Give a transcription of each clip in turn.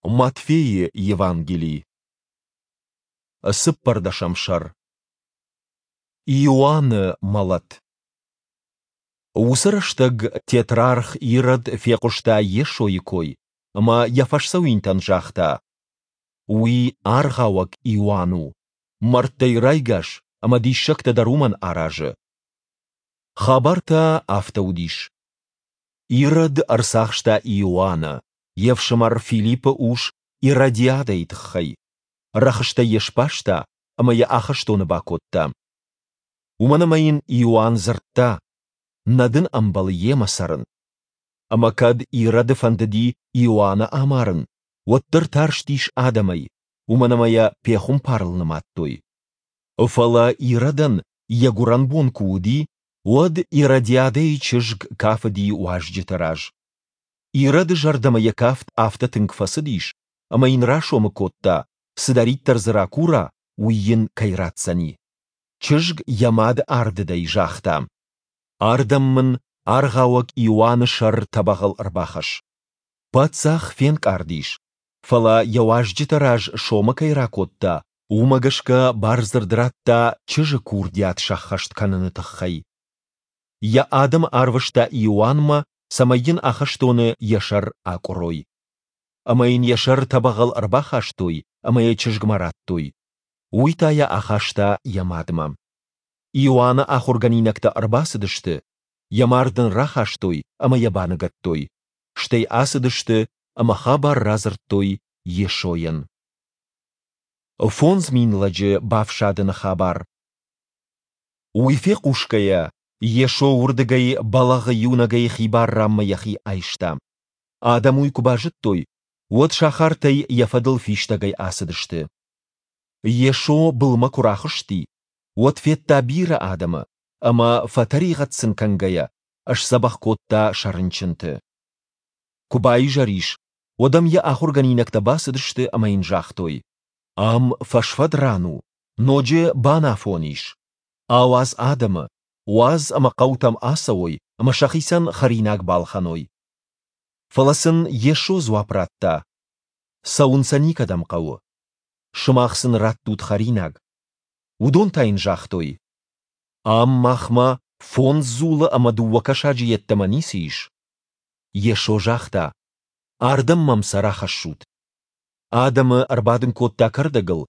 Матфейы Евангели. Цыппӕрдӕсӕм сӕр. Иоанны мӕлӕт. Уыцы рӕстӕг тетрарх Ирод фехъуыста Йесойы кой ӕмӕ йӕ фӕсдзӕуинтӕн загъта: Уый аргъауӕг Иоанн у, мӕрдтӕй райгас ӕмӕ диссӕгтӕ дӕр уымӕн аразы. Хабар та афтӕ уыдис. Ирод ӕрцахста Иоанны, йе фсымӕр Филиппы ус Иродиадӕйы тыххӕй. Рӕхыстӕй йӕ сбаста ӕмӕ йӕ ахӕстоны бакодта. Уымӕн ӕмӕ йын Иоанн дзырдта, нӕ дын ӕмбӕлы йемӕ цӕрын. Ӕмӕ кӕд Ироды фӕндыди Иоанны амарын, уӕддӕр тарстис адӕмӕй, уымӕн ӕмӕ йӕ пехуымпарыл нымадтой. Фӕлӕ Иродӕн йӕ гуырӕнбон куы уыди, уӕд Иродиадӕйы чызг кафыди уазджыты раз. Ироды зӕрдӕмӕ йӕ кафт афтӕ тынг фӕцыдис, ӕмӕ йын расомы кодта, цыдӕриддӕр дзы ракура, уый йын кӕй ратдзӕни. Чызг йӕ мады ардыдӕй загъта: «Ардӕм мын аргъауӕг Иоанны сӕр тӕбӕгъыл ӕрбахӕсс». Паддзах фенкъард ис, фӕлӕ йӕ уазджыты раз сомы кӕй ракодта, уымӕ гӕсгӕ бардзырд радта чызджы курдиат сӕххӕст кӕныны тыххӕй. Йӕ адӕмы арвыста Иоаннмӕ, цӕмӕй йын ахӕстоны йӕ сӕр акъуырой. Ӕмӕ йын йӕ сӕр тӕбӕгъыл ӕрбахастой ӕмӕ йӕ чызгмӕ радтой. Уый та йӕ ахаста йӕ мадмӕ. Иоанны ахуыргӕнинӕгтӕ ӕрбацыдысты, йӕ мард ын рахастой ӕмӕ йӕ баныгӕдтой, стӕй ацыдысты ӕмӕ хабар радзырдтой Йесойӕн. 5000 лӕджы бафсадыны хабар. Уый фехъусгӕйӕ, Йесо уырдыгӕй бӕлӕгъы иунӕгӕй хибар ранмӕ йӕхи айста. Адӕм уый куы базыдтой, уӕд сахартӕй йӕ фӕдыл фистӕгӕй ацыдысты. Йесо былмӕ куы рахызти, уӕд федта бирӕ адӕмы ӕмӕ, фӕтӕригъӕд сын кӕнгӕйӕ, сдзӕбӕх кодта сӕ рынчынты. Куы баизӕр ис, уӕд ӕм йӕ ахуыргӕнинӕгтӕ бацыдысты ӕмӕ йын загътой: Ам фӕсфӕд ран у, ноджы банафон ис. Ауадз адӕмы, уадз ӕмӕ хъӕутӕм ацӕуой ӕмӕ сӕхицӕн хӕринаг балхӕной. Фӕлӕ сын Йесо дзуапп радта: Цӕуын сӕ никӕдӕм хъӕуы. Сымах сын раттут хӕринаг. Уыдон та йын загътой: Ам махмӕ фондз дзулы ӕмӕ дыууӕ кӕсаджы йеддӕмӕ ницы ис. Йесо загъта: Ардӕм мӕм сӕ рахӕссут. Адӕмы ӕрбадын кодта кӕрдӕгыл,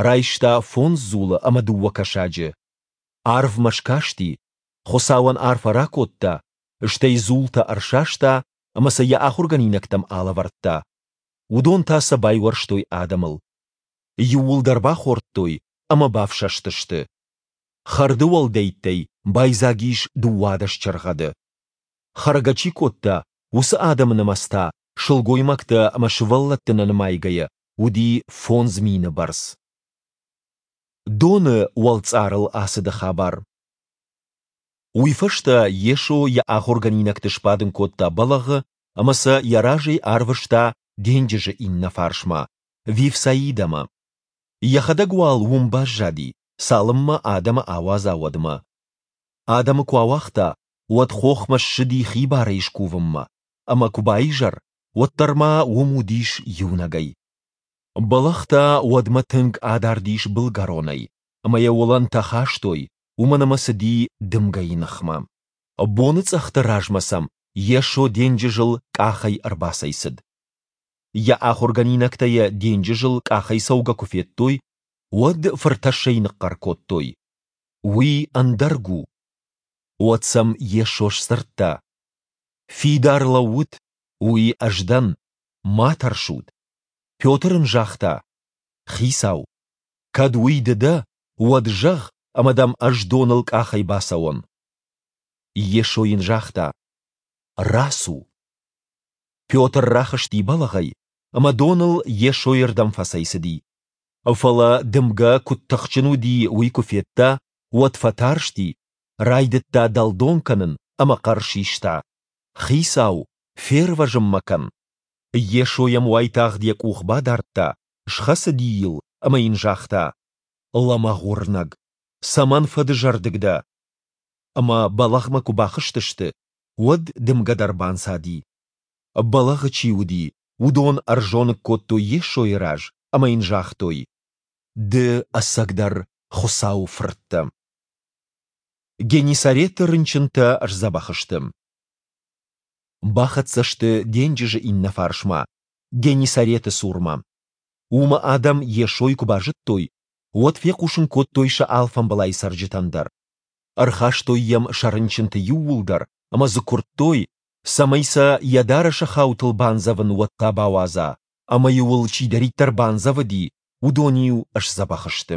райста фондз дзулы ӕмӕ дыууӕ кӕсаджы. Арвмӕ скасти, Хуыцауӕн арфӕ ракодта, стӕй дзултӕ ӕрсаста ӕмӕ сӕ йӕ ахуыргӕнинӕгтӕм алӕвӕрдта. Уыдон та сӕ байуӕрстой адӕмыл. Иууылдӕр бахордтой ӕмӕ бафсӕстысты. Хӕрды уӕлдӕйттӕй байдзаг ис 12 чыргъӕды. Хӕргӕ чи кодта, уыцы адӕмы нымӕц та, сылгоймӕгтӕ ӕмӕ сывӕллӕтты нӕ нымайгӕйӕ, уыди 5000 бӕрц. Доны уӕлцъарыл ацыды хабар. Уый фӕстӕ Йесо йӕ ахуыргӕнинӕгты сбадын кодта бӕлӕгъы ӕмӕ сӕ йӕ разӕй арвыста денджызы иннӕ фарсмӕ, Вифсаидӕмӕ. Йӕхӕдӕг уал уым баззади, цалынмӕ адӕмы ауадза, уӕдмӕ. Адӕмы куы ауагъта, уӕд хохмӕ ссыди хибарӕй скувынмӕ, ӕмӕ куы баизӕр, уӕддӕр ма уым уыдис иунӕгӕй. Бӕлӕгъ та уӕдмӕ тынг адард ис былгӕронӕй, ӕмӕ йӕ уылӕнтӕ хастой, уымӕн ӕмӕ цыди дымгӕйы ныхмӕ. Боныцъӕхты размӕ сӕм Йесо денджызыл къахӕй ӕрбацӕйцыд. Йӕ ахуыргӕнинӕгтӕ йӕ денджызыл къахӕй цӕугӕ куы федтой, уӕд фыртӕссӕй ныхъхъӕр кодтой: Уый ӕндӕрг у! Уӕд сӕм Йесо сдзырдта: Фидар лӕуут, уый ӕз дӕн, ма тӕрсут. Петр ын загъта: Хицау, кӕд уый ды дӕ, уӕд зӕгъ, ӕмӕ дӕм ӕз доныл къахӕй бацӕуон. Йесо йын загъта: Рацу. Петр рахызти бӕлӕгъӕй ӕмӕ доныл Йесойы рдӕм фӕцӕйцыди. Фӕлӕ дымгӕ куыд тыхджын уыди, уый куы федта, уӕд фӕтарсти, райдыдта дӕлдон кӕнын ӕмӕ хъӕр систа: Хицау, фервӕзын мӕ кӕн! Йесо йӕм уайтагъд йӕ къух бадардта, схӕцыди йыл ӕмӕ йын загъта: Лӕмӕгъ уырнӕг, цӕмӕн фӕдызӕрдыг дӕ? Ӕмӕ бӕлӕгъмӕ куы бахызтысты, уӕд дымгӕ дӕр банцади. Бӕлӕгъы чи уыди, Уыдон ӕрзоныг кодтой Йесойы раз ӕмӕ йын загътой, Ды ӕцӕгдӕр Хуыцауы Фырт дӕ. Геннисареты рынчынтӕ сдзӕбӕх сты. Бахӕццӕ сты денджызы иннӕ фарсмӕ, Геннисареты цурмӕ. Уымы адӕм Йесойы куы базыдтой, уӕд фехъусын кодтой сӕ алфамбылай цӕрджытӕн дӕр. Ӕрхастой йӕм сӕ рынчынты иууылдӕр ӕмӕ дзы куырдтой, цӕмӕй сӕ йӕ дарӕсы хаутыл бандзӕвын уӕд та бауадза, ӕмӕ-иу ыл чидӕриддӕр бандзӕвыди, уыдон-иу сдзӕбӕх сты.